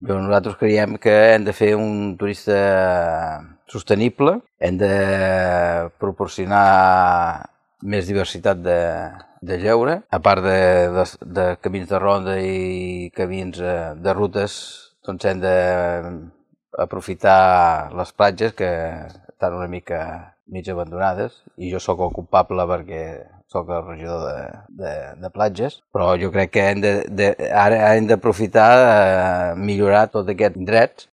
Nosaltres creiem que hem de fer un turista sostenible, hem de proporcionar més diversitat de lleure, a part de camins de ronda i camins de rutes, doncs hem d'aprofitar les platges que estan una mica mig abandonades, i jo sóc el culpable perquè sóc el regidor de platges, però jo crec que ara hem d'aprofitar millorar tot aquests indrets